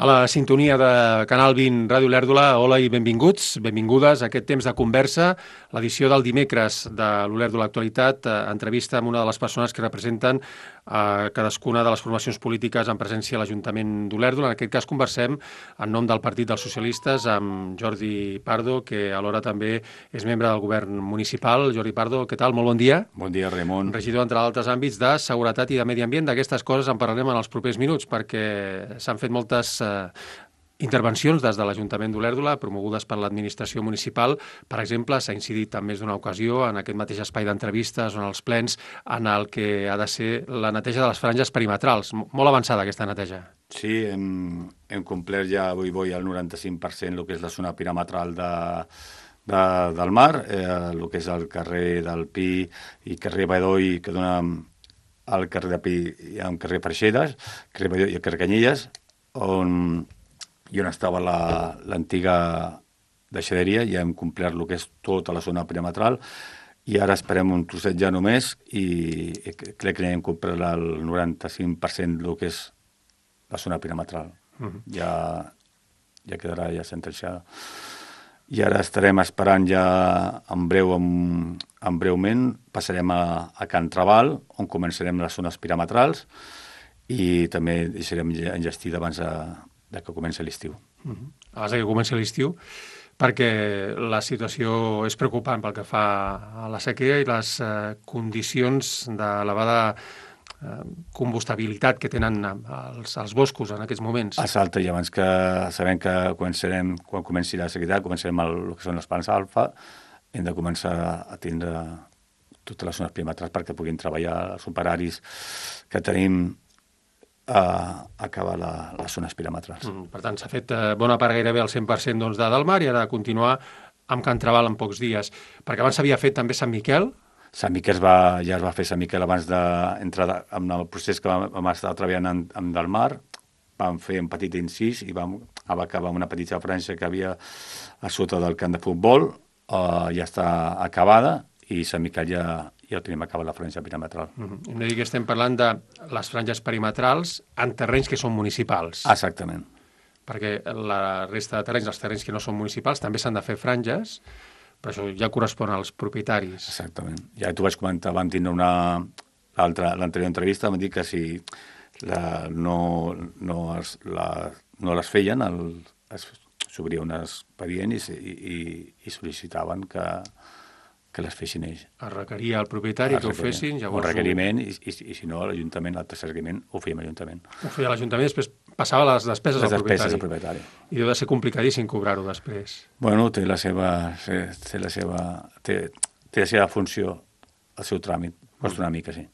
A la sintonia de Canal 20 Ràdio Olèrdola, hola i benvinguts, benvingudes a aquest temps de conversa, l'edició del dimecres de l'Olèrdola Actualitat, entrevista amb una de les persones que representen cadascuna de les formacions polítiques en presència a l'Ajuntament d'Olèrdola. En aquest cas conversem en nom del Partit dels Socialistes amb Jordi Pardo, que alhora també és membre del govern municipal. Jordi Pardo, què tal? Molt bon dia. Bon dia, Ramon. Regidor, entre altres àmbits, de seguretat i de medi ambient. D'aquestes coses en parlarem en els propers minuts, perquè s'han fet moltes intervencions des de l'Ajuntament d'Olèrdola, promogudes per l'administració municipal. Per exemple, s'ha incidit en més d'una ocasió en aquest mateix espai d'entrevistes on els plens en el que ha de ser la neteja de les franges perimetrals. Molt avançada aquesta neteja. Sí, hem complert ja avui al 95% el que és la zona perimetral del mar, el que és el carrer del Pi i carrer Badoi, que dona al carrer de Pi i al carrer Freixedes, carrer Badoi i el carrer Canyelles, on estava l'antiga deixaderia. Ja hem complert el que és tota la zona perimetral i ara esperem un trosset ja només i crec que hem complert el 95% del que és la zona perimetral. Ja quedarà ja sentenciada. I ara estarem esperant ja breument, passarem a Can Trabal, on començarem les zones perimetrals i també deixarem enllestida abans de que comenci l'estiu. Abans que comenci l'estiu, perquè la situació és preocupant pel que fa a la sequera i les condicions d'elevada combustabilitat que tenen els boscos en aquests moments. Exacte, i abans que sabem que quan comenci la sequera, començarem el que són les plants alfa, hem de començar a tindre totes les zones perimetrals perquè puguin treballar els operaris que tenim a acabar les zones perimetrals. Per tant, s'ha fet bona part gairebé al 100% del mar i ara continuar amb Can Trabal en pocs dies. Perquè abans s'havia fet també Sant Miquel. Sant Miquel ja es va fer Sant Miquel abans d'entrar en el procés que vam estar treballant amb del mar. Vam fer un petit incís i vam acabar amb una petita franja que havia a sota del camp de futbol. Ja està acabada i Sant Miquel ja tenim acabat la franja perimetral. Hem de dir que estem parlant de les franges perimetrals en terrenys que són municipals. Exactament. Perquè la resta de terrenys, els terrenys que no són municipals, també s'han de fer franges, però això ja correspon als propietaris. Exactament. Ja t'ho vaig comentar, vam tindre l'anterior entrevista, vam dir que si no les feien, s'obria un expedient i sol·licitaven que les fessin ells. Es requeria al propietari que ho fessin, llavors... Un requeriment, i si no, l'Ajuntament, l'altre seguiment, ho fèiem a l'Ajuntament. Ho feia l'Ajuntament, després passava les despeses al propietari. I deu de ser complicadíssim cobrar-ho després. Bueno, té la seva funció, el seu tràmit, costa una mica, sí.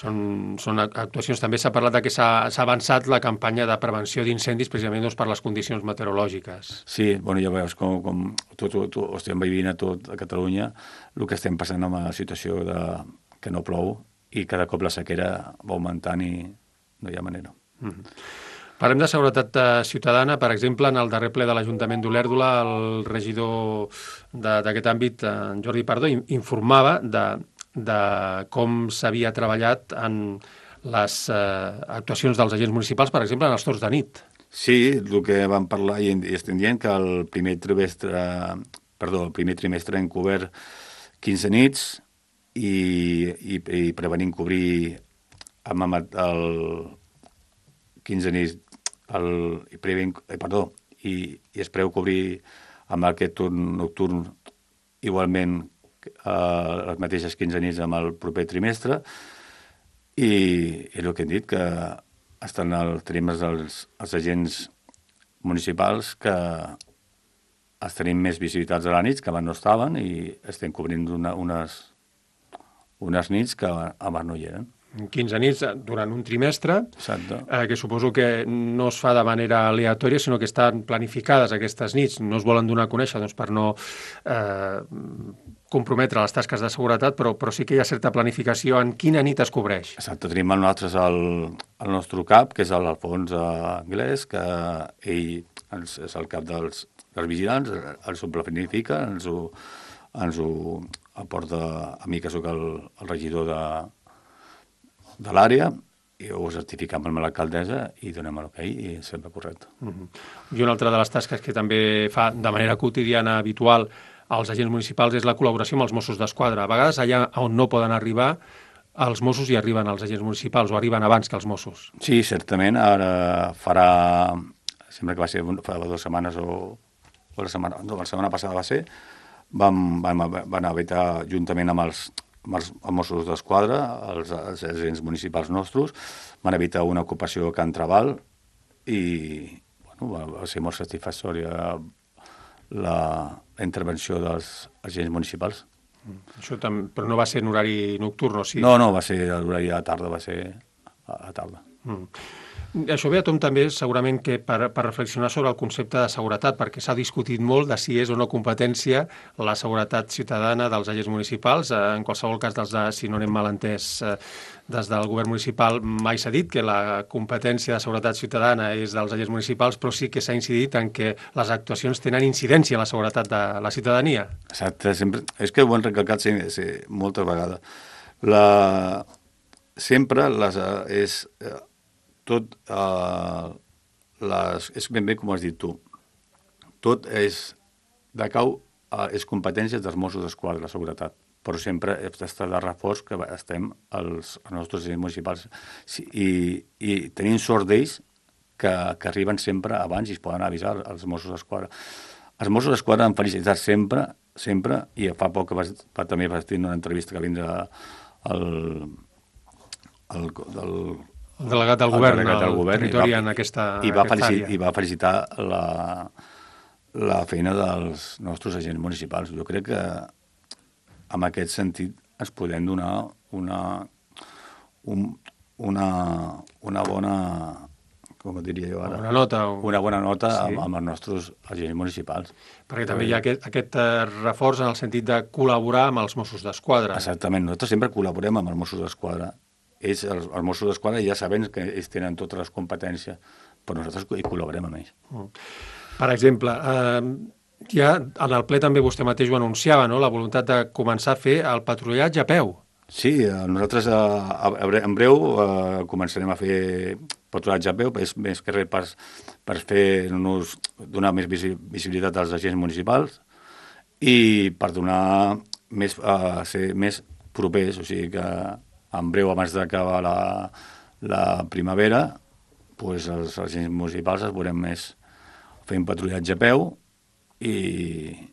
Són actuacions. També s'ha parlat que s'ha avançat la campanya de prevenció d'incendis precisament per les condicions meteorològiques. Sí, ja veus com tot estem vivint a tot a Catalunya, el que estem passant amb la situació que no plou i cada cop la sequera va augmentant i no hi ha manera. Parlem de seguretat ciutadana. Per exemple, en el darrer ple de l'Ajuntament d'Olèrdola, el regidor d'aquest àmbit, en Jordi Pardo, informava de com s'havia treballat en les actuacions dels agents municipals, per exemple, en els torns de nit. Sí, el que vam parlar i estem dient que el primer trimestre hem cobert 15 nits i prevenim cobrir amb el 15 nits i es preveu cobrir amb aquest turn nocturn igualment les mateixes 15 nits amb el proper trimestre i el que hem dit que tenim els agents municipals que els tenim més visibilitats a la nit que abans no estaven i estem cobrint unes nits que abans no hi eren. 15 nits durant un trimestre, que suposo que no es fa de manera aleatòria, sinó que estan planificades aquestes nits. No es volen donar a conèixer per no comprometre les tasques de seguretat, però sí que hi ha certa planificació en quina nit es cobreix. Exacte, tenim nosaltres el nostre cap, que és l'Alfons Anglès, que ell és el cap dels vigilants, ens ho planifica, ens ho aporta a mi, que sóc el regidor de l'àrea, i ho certificam amb l'alcaldessa i donem l'ok i sempre correcte. I una altra de les tasques que també fa de manera quotidiana habitual als agents municipals és la col·laboració amb els Mossos d'Esquadra. A vegades allà on no poden arribar, els Mossos hi arriben als agents municipals o arriben abans que els Mossos. Sí, certament. Ara farà, sembla que va ser fa 2 setmanes o la setmana passada va ser, van habitar juntament amb els Mossos d'Esquadra, els agents municipals nostres, van evitar una ocupació a Can Trabal i va ser molt satisfactòria la intervenció dels agents municipals. Això però no va ser en horari nocturn, o sí? No, va ser l'horari a tarda, va ser a tarda. Això ve a tomb també segurament que per reflexionar sobre el concepte de seguretat, perquè s'ha discutit molt de si és o no competència la seguretat ciutadana dels agents municipals. En qualsevol cas, si no anem mal entès, des del govern municipal mai s'ha dit que la competència de seguretat ciutadana és dels agents municipals, però sí que s'ha incidit en que les actuacions tenen incidència en la seguretat de la ciutadania. Exacte, sempre, és que ho han recalcat moltes vegades. Sempre és tot, és ben bé com has dit tu, tot és competències dels Mossos d'Esquadra, la seguretat, però sempre està de reforç que estem els nostres agents municipals i tenim sort d'ells que arriben sempre abans i es poden avisar als Mossos d'Esquadra. Els Mossos d'Esquadra han felicitat sempre, i fa poc que també vaig tenir una entrevista que vindrà el delegat del govern al territori en aquesta àrea. I va felicitar la feina dels nostres agents municipals. Jo crec que en aquest sentit ens podem donar una bona, com diria jo ara? Una bona nota sí. amb els nostres agents municipals. Perquè també hi ha aquest reforç en el sentit de col·laborar amb els Mossos d'Esquadra. Exactament, nosaltres sempre col·laborem amb els Mossos d'Esquadra. Els Mossos d'Esquadra ja sabem que ells tenen totes les competències, però nosaltres hi col·laborem amb ells. Per exemple, ja en el ple també vostè mateix ho anunciava, no? La voluntat de començar a fer el patrullatge a peu. Sí, nosaltres en breu començarem a fer patrullatge a peu, és més que res per donar més visibilitat als agents municipals i per ser més propers, o sigui que en breu, abans d'acabar la primavera, doncs els agents municipals es veurem més fent patrullatge a peu i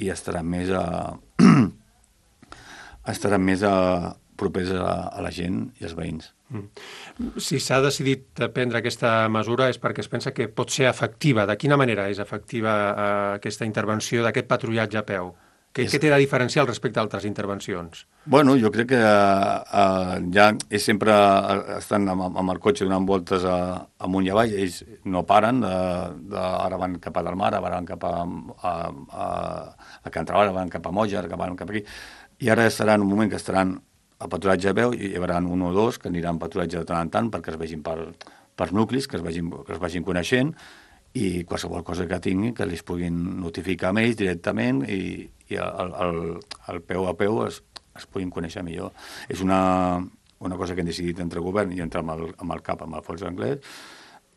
estaran més propers a la gent i als veïns. Si s'ha decidit prendre aquesta mesura és perquè es pensa que pot ser efectiva. De quina manera és efectiva aquesta intervenció d'aquest patrullatge a peu? Què té de diferencial respecte a altres intervencions? Bueno, jo crec que ja sempre estan amb el cotxe donant voltes amunt i avall, ells no paren, ara van cap a Delmar, ara van cap a Can Trabal, ara van cap a Moja, ara van cap aquí, i ara estaran un moment que estaran a patrullatge a peu, i hi haurà un o dos que aniran a patrullatge de tant en tant perquè es vegin per nuclis, que es vagin coneixent, i qualsevol cosa que tinguin que els puguin notificar a ells directament i el peu a peu es puguin conèixer millor. És una cosa que hem decidit entre el govern i entre amb el CAP, amb el Fons Anglès,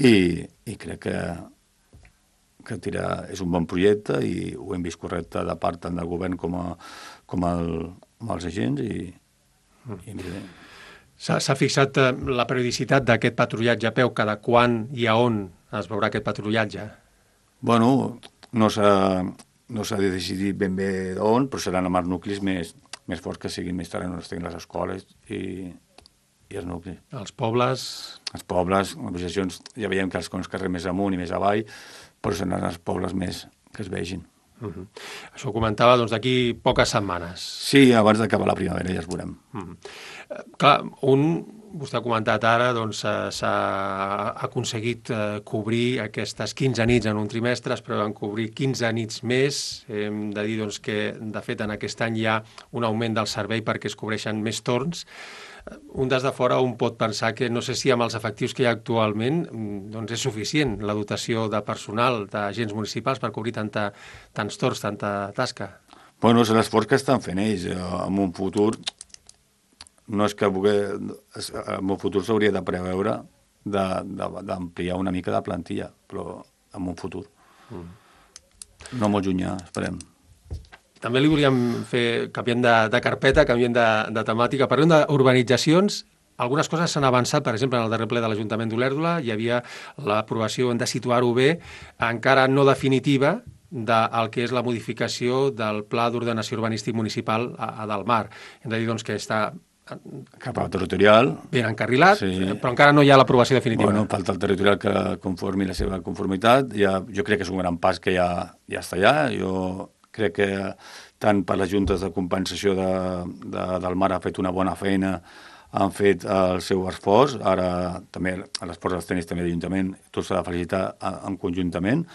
i crec que és un bon projecte i ho hem vist correcte de part tant del govern com els agents S'ha fixat la periodicitat d'aquest patrullatge a peu, cada quan i a on es veurà aquest patrullatge? Bueno, no s'ha decidit ben bé d'on, però seran amb els nuclis més forts que siguin més tard on estiguin les escoles i els nuclis. Els pobles, les associacions, ja veiem que els carrers més amunt i més avall, però seran els pobles més que es vegin. Això ho comentava d'aquí poques setmanes. Sí, abans d'acabar la primavera ja es veurem. Clar, vostè ha comentat ara, s'ha aconseguit cobrir aquestes 15 nits en un trimestre, es preveuen cobrir 15 nits més. Hem de dir que, de fet, en aquest any hi ha un augment del servei perquè es cobreixen més torns. Un des de fora un pot pensar que no sé si amb els efectius que hi ha actualment és suficient la dotació de personal, d'agents municipals per cobrir tants torns, tanta tasca. Bueno, és l'esforç que estan fent ells. En un futur no és que en un futur s'hauria de preveure d'ampliar una mica de plantilla, però en un futur. No molt llunyà, esperem. També li volíem fer, canviant de carpeta, canviant de temàtica, parlem d'urbanitzacions. Algunes coses s'han avançat, per exemple, en el darrer ple de l'Ajuntament d'Olèrdola hi havia l'aprovació, hem de situar-ho bé, encara no definitiva, del que és la modificació del Pla d'Ordenació Urbanístic Municipal a Delmar. Hem de dir doncs, que està cap al territorial. Ben encarrilat, però encara no hi ha l'aprovació definitiva. Bueno, falta el territorial que conformi la seva conformitat. Jo crec que és un gran pas que ja està allà. Jo crec que tant per les juntes de compensació del Mar ha fet una bona feina, han fet el seu esforç, ara també l'esforç dels tècnics també d'Ajuntament, tot s'ha de felicitar en conjuntament,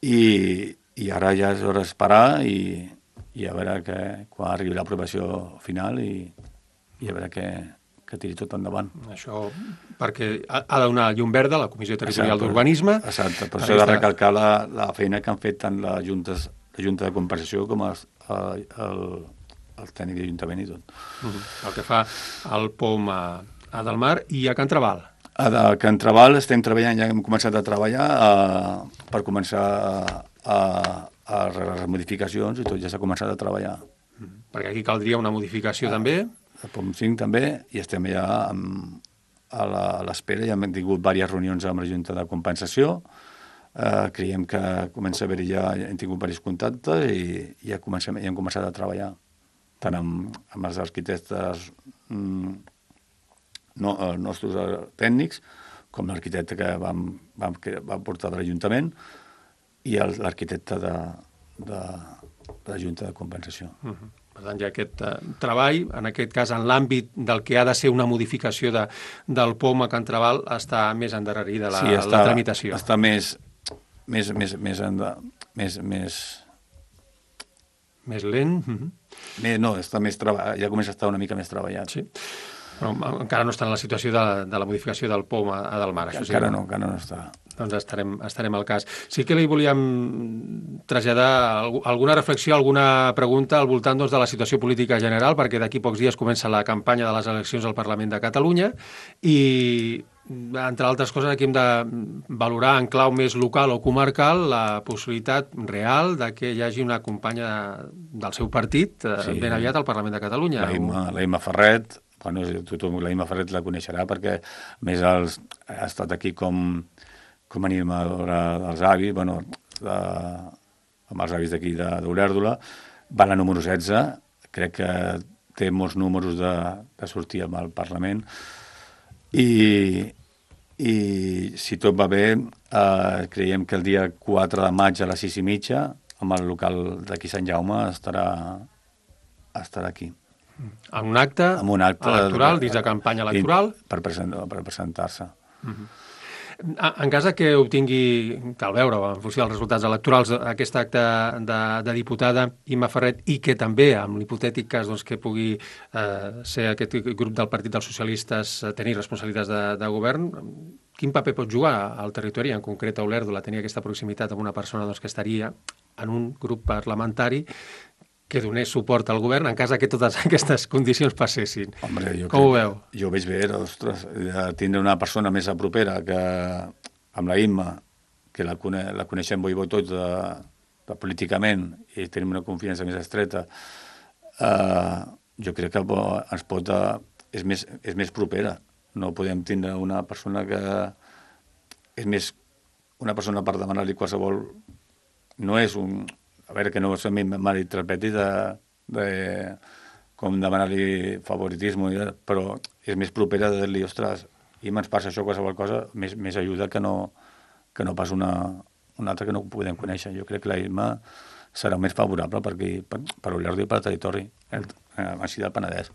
i ara ja és hora d'esperar i a veure que quan arribi l'aprovació final i a veure que tiri tot endavant. Això perquè ha de donar llum verda a la Comissió Territorial d'Urbanisme. Exacte, però s'ha de recalcar la feina que han fet tant la Junta de Compensació com el tècnic d'Ajuntament i tot. El que fa el POM a Delmar i a Can Traval. A Can Traval estem treballant, ja hem començat a treballar per començar a les modificacions i tot ja s'ha començat a treballar. Perquè aquí caldria una modificació també. El POM 5 també, i estem ja a l'espera, ja hem tingut diverses reunions amb la Junta de Compensació, creiem que comença a haver ja hem tingut diversos contactes i ja hem començat a treballar tant amb els arquitectes nostres tècnics com l'arquitecte que vam portar de l'Ajuntament i l'arquitecte de la Junta de Compensació. Per tant, ja aquest treball, en aquest cas en l'àmbit del que ha de ser una modificació del POM a Can Traval, està més endarrerida la tramitació. Sí, està més lent? No, està ja comença a estar una mica més treballat. Sí, però encara no està en la situació de la modificació del POM a Delmar. Encara no està. Doncs estarem al cas. Sí que li volíem traslladar alguna reflexió, alguna pregunta al voltant de la situació política general, perquè d'aquí pocs dies comença la campanya de les eleccions al Parlament de Catalunya i, entre altres coses, aquí hem de valorar en clau més local o comarcal la possibilitat real de que hi hagi una companya del seu partit ben aviat al Parlament de Catalunya. La Imma Ferret, tothom la Imma Ferret la coneixerà perquè, a més, ha estat aquí com animadora dels avis, amb els avis d'aquí d'Olèrdola, va a la número 16, crec que té molts números de sortir al Parlament, i si tot va bé, creiem que el dia 4 de maig a les 6:30, amb el local d'aquí Sant Jaume, estarà aquí. En un acte electoral, dins de campanya electoral? Per presentar-se. En cas que obtingui, cal veure, en funció dels resultats electorals, aquest acte de diputada Imma Ferret, i que també, amb l'hipotètic cas que pugui ser aquest grup del Partit dels Socialistes tenir responsabilitats de govern, quin paper pot jugar al territori, en concret a Olèrdola, tenir aquesta proximitat amb una persona que estaria en un grup parlamentari que donés suport al govern en cas que totes aquestes condicions passessin? Hombre, com ho veu? Jo ho veig bé, ostres, tindre una persona més a propera que amb la Imma, que la coneixem bo i bo tots políticament i tenim una confiança més estreta, jo crec que ens pot... és més propera. No podem tindre una persona que és més... Una persona per demanar-li qualsevol... No és un... A veure, que no se malinterpreti com demanar-li favoritisme, però és més propera de dir-li, ostres, Imma, ens passa això, qualsevol cosa, més ajuda que no pas una altra que no podem conèixer. Jo crec que la Imma serà més favorable per Olèrdola i per territori, així del Penedès.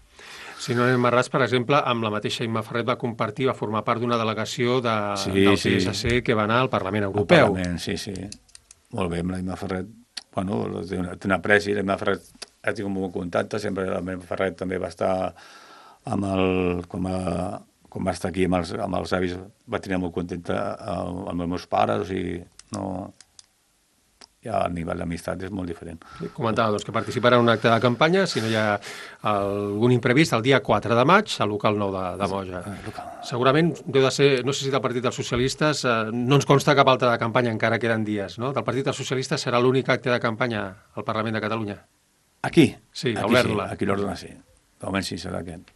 Si no anem errats, per exemple, amb la mateixa Imma Ferret va formar part d'una delegació del PSC que va anar al Parlament Europeu. Sí. Molt bé, amb la Imma Ferret. Bueno, té una apreci, la Imma Ferret ha tingut un bon contacte, sempre la Imma Ferret també va estar quan va estar aquí amb els avis, va tenir molt contenta amb els meus pares, o sigui, no... ja el nivell d'amistat és molt diferent. Comentava que participarà en un acte de campanya, si no hi ha algun imprevist, el dia 4 de maig, al local 9 de Moja. Segurament deu de ser, no sé si del Partit dels Socialistes, no ens consta cap altre de campanya, encara queden dies, no? Del Partit dels Socialistes serà l'únic acte de campanya al Parlament de Catalunya? Aquí? Sí, a Sí, Olèrdola. aquí l'Ordre sí. De moment sí, serà aquest.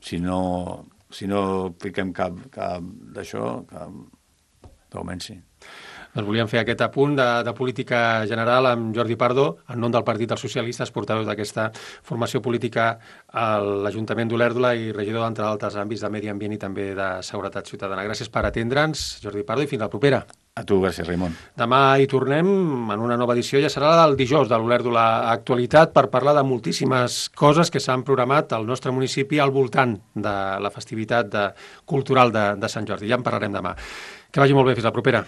Si no fiquem cap d'això, de moment sí. Doncs volíem fer aquest apunt de política general amb Jordi Pardo, en nom del Partit dels Socialistes, portaveu d'aquesta formació política a l'Ajuntament d'Olèrdola i regidor, entre altres àmbits, de medi ambient i també de seguretat ciutadana. Gràcies per atendre'ns, Jordi Pardo, i fins la propera. A tu, gràcies, Raimon. Demà hi tornem en una nova edició, ja serà la del dijous de l'Olèrdola Actualitat, per parlar de moltíssimes coses que s'han programat al nostre municipi al voltant de la festivitat cultural de Sant Jordi. Ja en parlarem demà. Que vagi molt bé, fins la propera.